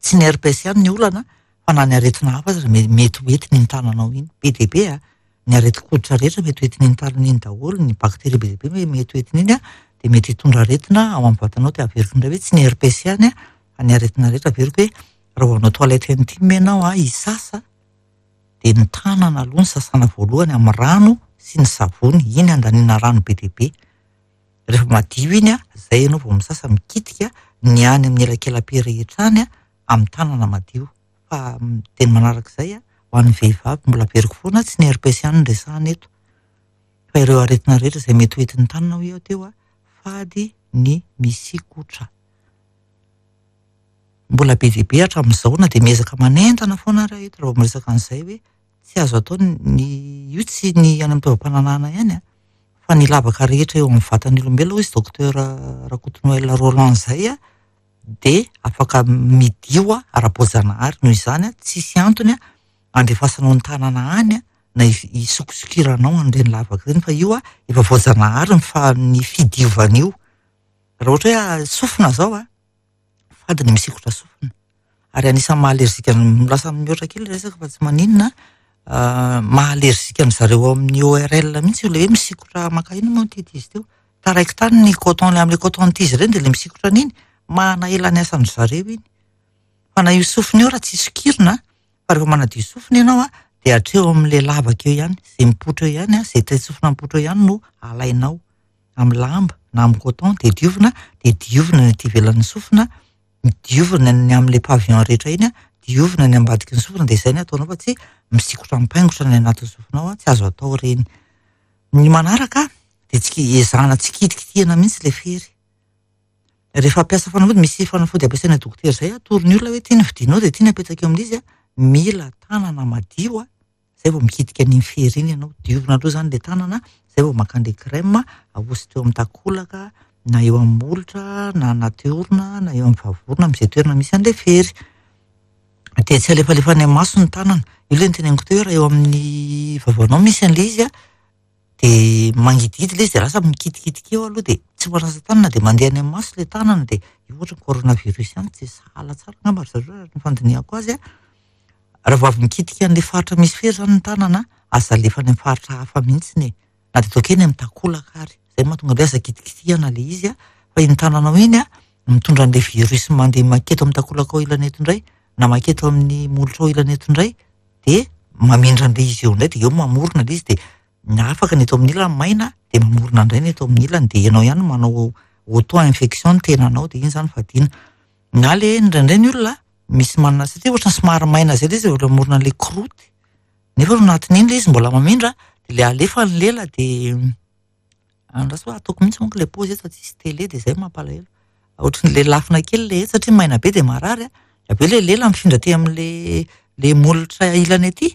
tsy ny herpès ihany ny olana fa na ny aretina hafa aza mety ho entin'iny tananao iny. Be dia be a! Ny aretin-koditra rehetra mety ho entin'iny tanana iny daholo, ny bakteria be dia be mety ho entin'iny a, dia mety hitondra aretina ao amin'ny vatanao. Dia averiko indray hoe tsy ny herpès ihany a, fa ny aretina rehetra. Averiko hoe raha vao hanao toilette intime ianao a, hisasa, dia ny tanana aloha no sasana voalohany amin'ny rano sy ny savony. Iny andaniana rano be dia be. Rehefa madio iny a, izay ianao vao misasa mikitika ny any amin'ny elakela-pe rehetra any a, amin'ny tanana madio. Fa dia ny manarak'izay a, ho Ho an'ny vehivavy, mbola averiko foana, tsy ny herpes ihany no resahana eto fa ireo aretina rehetra izay mety ho entin'ny tanana hoy aho teo, fady ny misikotra. Mbola be dia be hatramin'izao na dia miezaka manentana foana ary aho eto raha vao miresaka an'izay hoe tsy azo atao ny io tsy ny any amin'ny taovam-pananahana ihany fa ny lavaka rehetra eo amin'ny vatan'ny olombelona hoy izy docteur Rakotonoel Roland izay dia afaka midio ara-boajanahary noho izany tsisy antony andefasanao ny tanana any na hisokisokiranao an'ireny lavaka ireny fa io efa voajanahary ny fa ny fidiovana io. Raha ohatra hoe sofina zao fady ny misikotra sofina ary anisan'ny maha alerzika lasa mihoatra kely resaka fa tsy maninona maha alerzika an-dry zareo ao amin'ny ORL mihitsy io le hoe misikotra maka inona moa ny titre izy teo taraiky tany ny coton le amin'ilay coton tige ireny dia le misikotra an'iny mahana ela ny asan-dry zareo iny fa na io sofina io raha tsy sokirina fa rehefa manadio sofina ianao dia hatreo amin'ilay lavaka eo ihany izay mipoitra eo ihany izay tain-tsofina mipoitra eo ihany no alainao amin'ny lamba na amin'ny coton dia diovina dia diovina ny aty ivelan'ny sofina diovina ny amin'ilay pavillon rehetra iny diovina ny ambadiky ny sofina dia izay ny ataonao fa tsy misikotra mipaingotra ny anatin'ny sofinao tsy azo atao ireny. Ny manaraka dia tsy ezahana tsy kitikitihana mihitsy ilay fery. Rehefa hampiasa fanafody, misy fanafody ampiasaina dokotera izay atorony olona hoe ity ny vidinao dia ity ny apetaka eo amin'izy mila tanana madio izay vao mikitika an'iny fery iny ianao. Diovina aloha izany ilay tanana izay vao maka an'ilay crème ahositra eo amin'ny takolaka na eo amin'ny molotra na anaty orona na eo amin'ny vavorona amin'izay toerana misy an'ilay fery. Dia tsy alefalefa any amin'ny maso ny tanana. Io ilay noteneniko teo hoe raha eo amin'ny vavanao misy an'ilay izy dia mangidihidy ilay izy dia lasa mikitikitika eo aloha dia tsy manasa tanana dia mandeha any amin'ny maso ilay tanana dia io ohatran'ny coronavirus ihany tsy sahala tsara angamba ry zareo raha ny fandinihako azy. Raha vao avy mikitika an'ilay faritra misy fery izany ny tanana, aza alefa any amin'ny faritra hafa mihitsy e. Na dia ataoko eny amin'ny takolaka ary. Izay no mahatonga an'ilay aza kitikitihana ilay izy fa iny tananao iny mitondra an'ilay virus mandeha maketo amin'ny takolakao ilany eto indray na maketo amin'ny molotrao ilany eto indray dia mamindra an'ilay izy eo indray dia eo mamorona ilay izy dia ny afaka ny eto amin'ny ilany maina dia mamorona indray ny eto amin'ny ilany dia ianao ihany no manao auto infection ny tenanao dia iny izany fadiana. Na ilay indraindray ny olona misy manana satria ohatran'ny somary maina izay ilay izy eo mamorona an'ilay croûte nefa ao anatin'iny ilay izy mbola mamindra dia ilay alefa ny lela dia andraso hoe ataoko mihitsy manko ilay paozy eto fa tsisy télé dia izay mampalahelo. Ohatran'ilay lafina kely ilay eto satria maina be dia marary avy eo ilay lela mifindra aty amin'ilay ilay molotra ilany aty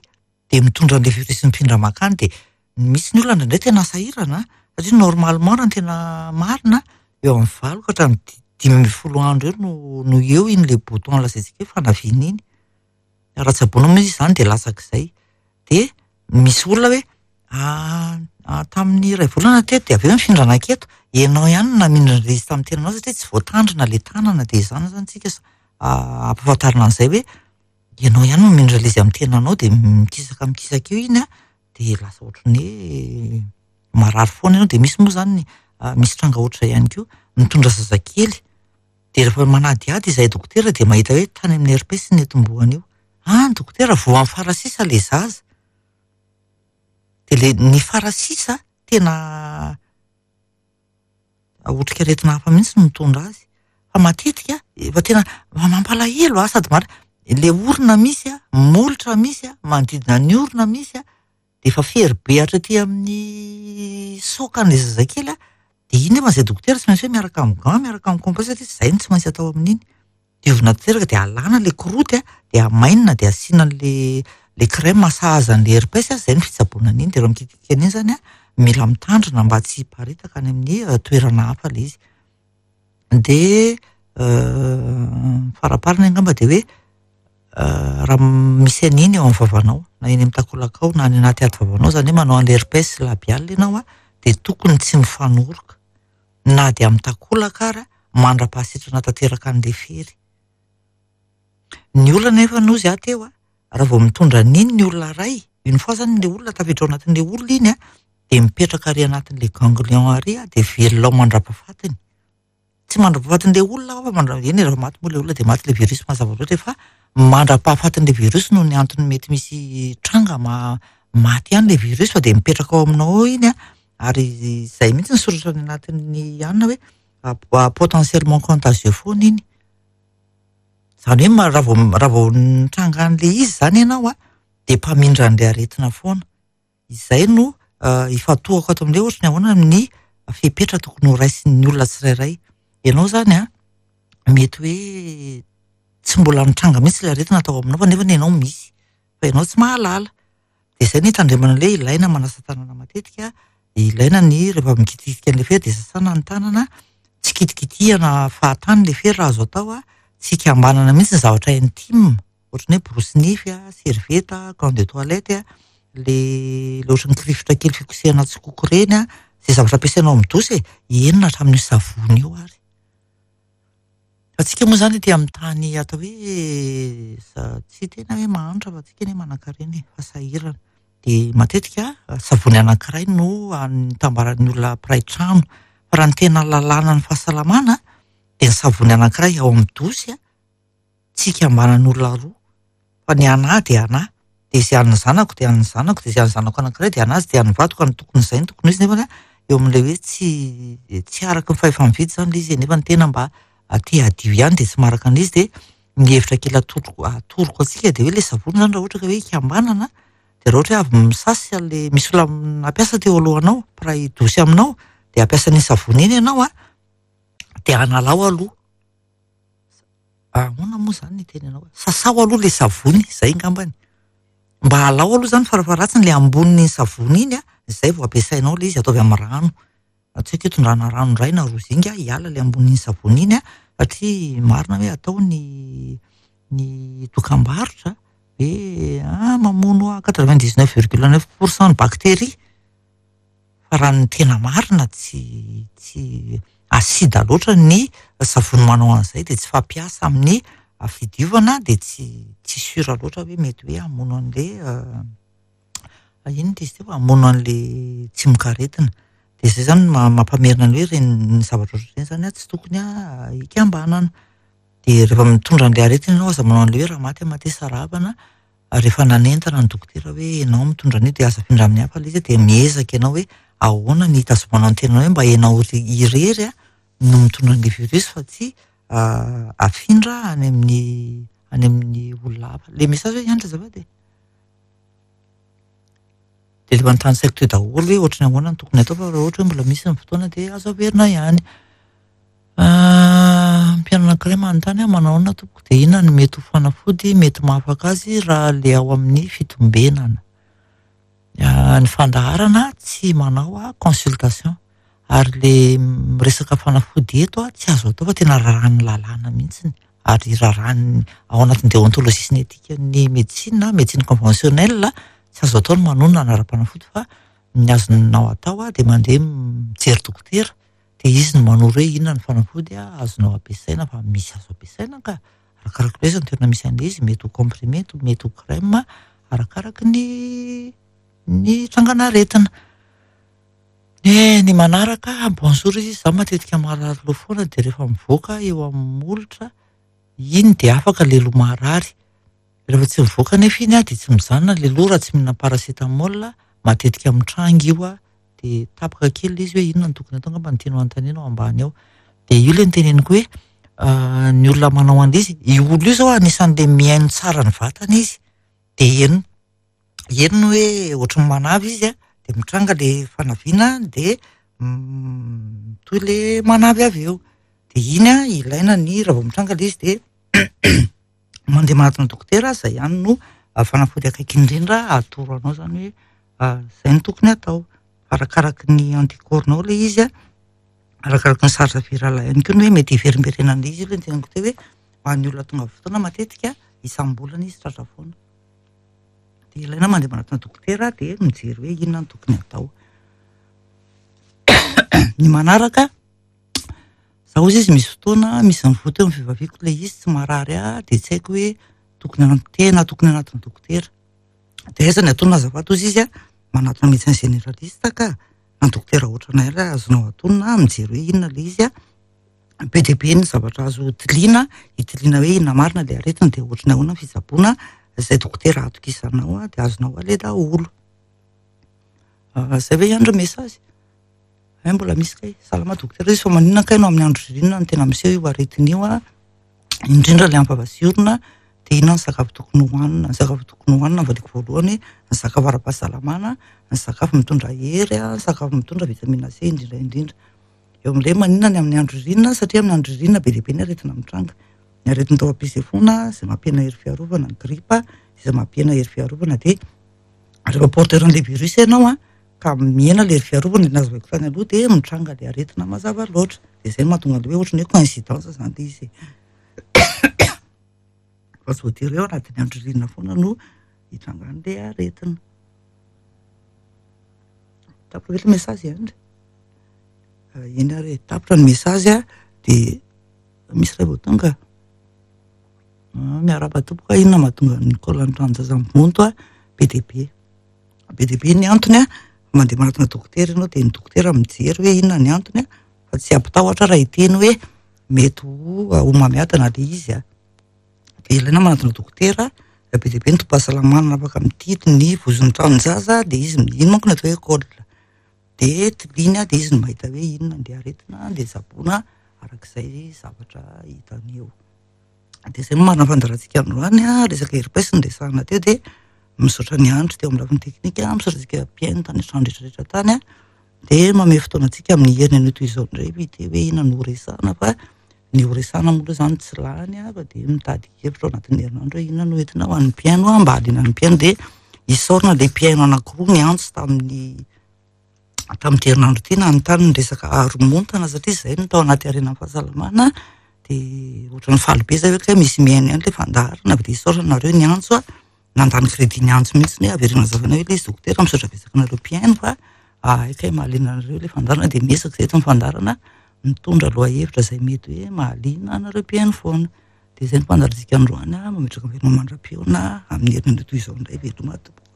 dia mitondra an'ilay virus mifindra mankany dia misy ny olona indraindray tena sahirana satria normalement raha ny tena marina eo amin'ny 8 ka hatramin'ny 15 andro eo no no eo iny ilay bouton lazaintsika hoe fanaviana iny. Raha tsaboina moa izy izany dia latsak'izay. Dia misy olona hoe tamin'ny iray volana teto dia avy eo nifindra naketo, ianao ihany no namindra an'ilay izy tamin'ny tenanao satria tsy voatandrina ilay tanana dia izany izany tsika ampahafantarina an'izay hoe ianao ihany no mamindra ilay izy amin'ny tenanao dia mikisaka mikisaka eo iny dia lasa ohatran'ny hoe marary foana ianao dia misy moa izany misy tranga ohatr'izay ihany koa mitondra zazakely dia rehefa manadihady izahay dokotera dia mahita hoe tany amin'ny herpes ny nitomboany io. Ah, ny dokotera voan'ny farasisa ilay zaza. Dia ilay ny farasisa tena otrikaretina hafa mihitsy no mitondra azy. Fa matetika efa tena mampalahelo sady marina ilay orona misy molotra misy manodidina ny orona misy dia efa fery be hatraty amin'ny saokan'ilay zazakely dia iny nefa izay dokotera tsy maintsy hoe miaraka amin'ny gant miaraka amin'ny compresse satria izay no tsy maintsy atao amin'iny. Diovina tanteraka dia alana ilay croûte dia amainina dia asiana an'ilay ilay crème sahaza an'ilay herpes izay no fitsaboana an'iny dia raha mikitikika an'iny izany mila mitandrina mba tsy hiparitaka any amin'ny toerana hafa ilay izy. Dia faraparany angamba dia hoe raha misy an'iny eo amin'ny vavanao na eny amin'ny takolakao na any anaty ady vavanao izany hoe manao an'ilay herpes labial ianao dia tokony tsy mifanoroka na dia amin'ny takolaka ary mandra-pahasitrana tanteraka an'ilay fery. Ny olona nefa noho izy aho teo raha vao mitondra an'iny ny olona iray, une fois izany ilay olona tafiditra ao anatin'ilay olona iny dia mipetraka ary anatin'ilay ganglion ary dia velona ao mandra-pahafatiny. Tsy mandra-pahafatin'ilay olona aho fa mandra-, eny rehefa maty moa ilay olona dia maty ilay virus mazava loatra fa mandra-pahafatin'ilay virus noho ny antony mety misy tranga maty ihany ilay virus fa dia mipetraka ao aminao ao iny ary izay mihitsy ny soratra any anatin'ny anona hoe potentiellement contagieux foana iny. Izany hoe raha vao raha vao nitranga an'ilay izy izany ianao dia mpamindra an'ilay aretina foana. Izay no ifantohako ato amin'ilay ohatry ny ahoana ny fepetra tokony ho raisin'ny olona tsirairay. Ianao izany an, mety hoe tsy mbola nitranga mihitsy ilay aretina tao aminao fa nefa ianao misy, fa ianao tsy mahalala. Dia izay no hitandremana ilay hoe ilaina manasa tanana matetika, ilaina ny rehefa mikitikitika an'ilay fery dia sasana ny tanana, tsy kitikitihana fahatany ilay fery raha azo atao an, tsy ikambanana mihitsy ny zavatra intime. Ohatran'ny hoe borosy nify, servieta, gants de toilette, le le ohatran'ny kirifotra kely fikosehana tsikoko ireny, izay zavatra ampiasainao amin'ny douche e, eny na hatramin'io savony io ary. Fa tsika moa izany aty amin'ny tany atao hoe tsy tena hoe mahantra fa tsika anie manankarena e, fa sahirana. Dia matetika savony anankiray no nitambaran'ny olona mpiray trano. Fa raha ny tena lalànan'ny fahasalamana dia ny savony anankiray ao amin'ny douche tsy ikambanan'olona roa fa ny anà dia anà, dia izay an'ny zanako dia an'ny zanako, dia izay an'ny zanako anankiray dia an'azy, dia an'ny vadiko, any tokony izay no tokony ho izy nefany eo amin'ilay hoe tsy tsy araka ny fahefa-mividy izany ilay izy nefa ny tena mba te hadio ihany dia tsy maharaka an'izy dia ny hevitra kely atoroko atoroko antsika dia hoe ilay savony izany raha ohatra ka hoe ikambanana dia raha ohatra hoe avy misasy an'ilay misy olona nampiasa teo alohanao mpiray dosy aminao dia hampiasa an'iny savony iny ianao an dia analao aloha Ahoana moa izany ny hiteny anao? Sasao aloha ilay savony, izay angambany. Mba alao aloha izany farafaharatsiny ilay ambonin'iny savony iny an, izay vao ampiasainao ilay izy, ataovy amin'ny rano. Tsy haiko hoe tondrahana rano indray na roa zinga hiala ilay ambonin'iny savony iny an, satria marina hoe atao ny ny dokam-barotra hoe ah mamono 99 virgule 9 pour cent ny bactérie. Fa raha ny tena marina tsy tsy acide loatra ny savony manao an'izay dia tsy fampiasa amin'ny fidiovana dia tsy tsy sûr loatra hoe mety hoe hamono an'le inona izy teo hamono an'le tsimokaretina. Dia izay izany no mampamerina ny hoe ireny zavatra ohatr'ireny izany an tsy tokony hikambanana. Dia rehefa mitondra an'ilay aretina ianao aza manao an'ilay hoe raha maty aho matesa rahavana. Rehefa nanentana ny dokotera hoe ianao mitondra an'io dia aza afindra amin'ny hafa ilay izy dia miezaka ianao hoe ahoana ny hitazomanao ny tenanao hoe mba ianao irery no mitondra an'ilay virus fa tsy afindra any amin'ny any amin'ny olona hafa. Ilay message hoe hiandry azafady e. Dia efa notanisaiko teo daholo hoe ohatran'ny ahoana no tokony atao fa raha ohatra hoe mbola misy ny fotoana dia azo averina ihany. Mpihaino anankiray manontany aho manao ahoana tompoko dia inona no mety ho fanafody mety mahafaka azy raha le ao amin'ny fitombenana. Ny fandaharana tsy manao consultation ary le miresaka fanafody eto tsy azo atao fa tena raràn'ny lalàna mihitsy ary raràn'ny ao anatin'ny déontologie sy ny éthique-n'ny médecine, médecine conventionnelle tsy azo atao ny manonona anaram-panafody fa ny azonao atao dia mandeha mijery dokotera dia izy no manoro hoe inona ny fanafody azonao ampiasaina fa misy azo ampiasaina ka, arakaraka ilay izy ny toerana misy an'ilay izy, mety ho comprimé, mety ho crème, arakaraky ny ny trangan'aretina. Eh, ny manaraka, bonjour izy, izaho matetika marary loha foana dia rehefa mivoaka eo amin'ny molotra iny dia afaka ilay loha marary. Rehefa tsy mivoaka anefa iny dia tsy mijanona ilay loha raha tsy mihinana paracétamol, matetika mitranga io dia tapaka kely ilay izy hoe inona no tokony atao angamba no tianao anontaniana ao ambany ao. Dia io ilay noteneniko hoe ny olona manao an'ilay izy, io olona io izao anisan'ilay mihaino tsara ny vatana izy. Dia heno henony hoe ohatran'ny manavy izy an, dia mitranga ilay fanaviana dia mitohy ilay manavy avy eo. Dia iny an, ilaina ny raha vao mitranga ilay izy dia mandeha manatona dokotera, izay ihany no fanafody akaiky indrindra atoro anao izany hoe izay no tokony atao. Arakaraky ny anticorps-nao ilay izy an, arakaraky ny charge virale ihany koa ny hoe mety hiverimberenan'ilay izy aloha ny teneniko teo hoe ho an'ny olona tonga fotoana matetika isam-bolana izy tratra foana. Dia ilaina mandeha manatona dokotera dia mijery hoe inona no tokony atao. Ny manaraka, za hozy izy misy fotoana misy mivoa teo amin'ny fivaviako ilay izy tsy marary ahy dia tsy haiko hoe tokony hanatona tena tokony hanatona dokotera. Dia aiza ny atonina azafady hozy izy a, manatona médecin généraliste ka, na dokotera ohatranay ary azonao atonina mijery hoe inona ilay izy a. Be dia be ny zavatra azo tiliana, hitiliana hoe inona marina ilay aretina dia ohatran'ny ahoana ny fitsaboana, izay dokotera atokisanao dia azonao aleha daholo. Izay ve ihany ry message? Hay mbola misy kay. Salama dokotera izy fa maninona kay no amin'ny andro ririnina no tena miseho io aretina io a? Indrindra ilay ampavasiorona. Dia inona ny sakafo tokony hohanina? Ny sakafo tokony hohanina valiako voalohany, ny sakafo ara-pahasalamana, ny sakafo mitondra hery, ny sakafo mitondra vitamine C indrindra indrindra. Eo amin'ilay maninona ny amin'ny andro ririnina satria amin'ny andro ririnina be dia be ny aretina mitranga. Ny aretin'ny taovam-pisefoana izay mampihena hery fiarovana, ny gripa izay mampihena hery fiarovana dia rehefa porteur an'ilay virus ianao an, ka mihena ilay hery fiarovana, ilay nazavaiko tany aloha dia mitranga ilay aretina mazava loatra. Dia izay no mahatonga an'ilay hoe ohatran'ny hoe coïncidence izany ilay izy e. Fa tsy voatery hoe ao anatin'ny andro ririnina foana no hitrangan'ilay aretina. Tapitra ve ilay message Andry? Eny ary e, tapitra ny message dia misy iray vao tonga. Miarahaba tompoko, inona mahatonga ny col ny tranon-jaza mivonto a? Be dia be. Be dia be ny antony a, mandeha manatona dokotera ianao dia ny dokotera mijery hoe inona ny antony a, fa tsy hampitahotra raha hiteny hoe mety ho homamiadana ilay izy a. Dia ilaina manatona dokotera, be dia be ny tobim-pahasalamana afaka mitily ny vozon'ny tranon-jaza dia izy, iny manko no atao hoe col. Dia tiliana dia izy no mahita hoe inona ny aretina dia tsaboina arak'izay zavatra hitany eo. Dia izay no marina fandaharantsika androany an, resaka herpes no resahana teo dia misaotra an'i Andry teo amin'ny lafiny teknika, misaotra antsika mpihaino tany an-trano rehetra rehetra tany an, dia manome fotoana antsika amin'ny heriny anio toy izao indray ity hoe inona no horesahana fa ny horesahana moa aloha izany tsy lany an, fa dia mitady hevitra ao anatin'ny herinandro hoe inona no entina ho an'ny mpihaino an, mba hahaliana ny mpihaino dia isaorana ilay mpihaino anankiroa niantso tamin'ny tamin'ity herinandro ity nanontany ny resaka haromontana satria izay no tao anaty harenan'ny fahasalamana dia ohatran'ny faly be zay hoe kay misy mihaino ihany ilay fandaharana avy dia isaorana nareo niantso an, nandany crédit niantso mihitsy hoe avereno hazavaina hoe ilay izy dokotera misaotra betsaka anareo mpihaino fa hay kay mahaliana anareo ilay fandaharana dia miezaka izay eto ny fandaharana mitondra lohahevitra izay mety hoe mahaliana anareo mpihaino foana. Dia izay no fandaharantsika androany an, mametraka veloma mandra-pihaona amin'ny herinandro toy izao indray veloma tompoko.